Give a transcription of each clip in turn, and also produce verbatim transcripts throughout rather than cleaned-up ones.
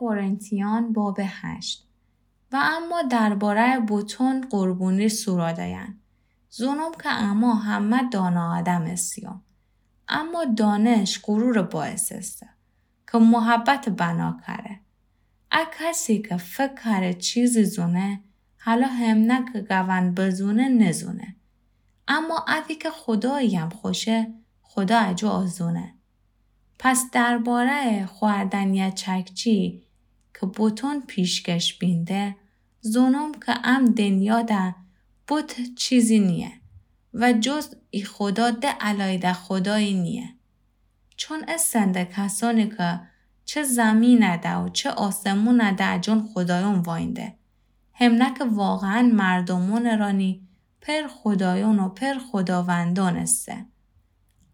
قرنتیان باب هشت. و اما درباره‌یٚ بتون قربونی سوراده‌یأن، زونم که اما همه دانه آدم ایسیم. اما دانش غرورٚ باعث ایسه که محبتٚ بنا کره. ا کسی که فکر کره چیزی زونه، حالا همنه که گوند بزونه نزونه. اما ادی که خوداییم خوشه، خودا اجو آزونه. پس درباره‌یٚ خوأردنٚ چکچی که بتون پیشکش بینده، زونم که ام دنیاده بت چیزی نییه و جز ای خودا ده الایده خودایی نییه. چون ایسنده کسانی که چه زیمینده و چه آسمونده اجون خودایون واینده، همنه که واقعاً مردومونٚ رانی پر خودایون و پر خوداوندون ایسه.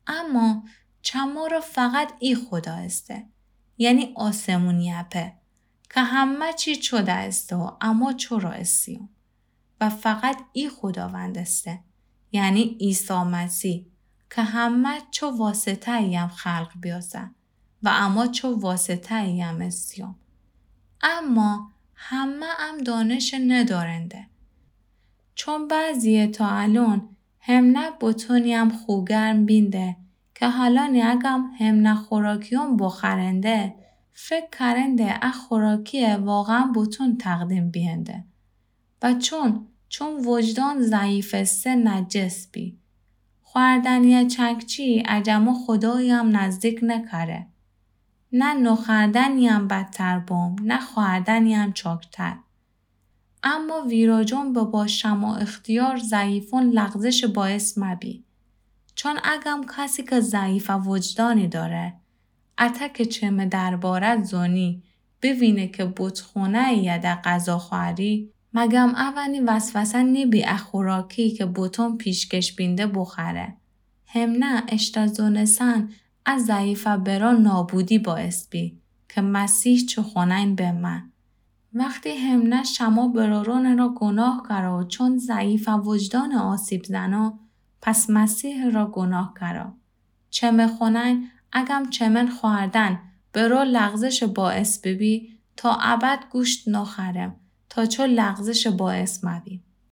اما چه مره فقط ای خودا ایسه، یعنی آسمونی‌یٚ پئر، که همه چی چو ده ایسه و اما چو را ایسیون. و فقط ای خوداوند ایسه، یعنی عیسی مسیح، که همه چو واسطه‌ییم خلق بیاسه و اما چو واسطه‌ییم ایسیون. اما همه ام دانش ندارنده. چون بعضی‌یه تا الون همنه بتونیم خو گرم بینده که حالانی اگم همنه خوراکیون بخورنده، فکر کرنده ا خوراکی‌یه واقعاً بتون تقدیم بینده. و چون، چون وجدان ضعیف ایسه نجس بی. خوأردنٚ چکچی اجمو خوداییم نزدیک نکره. نه نوخوأردنیم بدتر بوم، نه خوأردنیم چاکتر. اما ویراجون ببا شمع اختیار ضعیفون لغزشٚ باعث مبی. چون اگم کسی که ضعیف وجدانی داره، اته که چمه درباره زونی، ببینه که بت‌خونه‌یی‌ده غذا خوأری، مگم اونی وسوسه نیبی ا خوراکی که بتون پیشکش بینده بخوره؟ همنه اشته زونستن ا ضعیفٚ برا نابودی باعث بی که مسیح چوخونه‌یین بمه. وختی همنه شمع برارونٚ را گوناه کرا و چون ضعیفٚ وجدان آسیب زنا، پس مسیحٚ را گوناه کرا. چمه خونه‌یین اگم چمن خوأردن برا لغزشٚ باعث ببی، تا ابد گوشت نوخورم، تا چو لغزشٚ باعث مبی.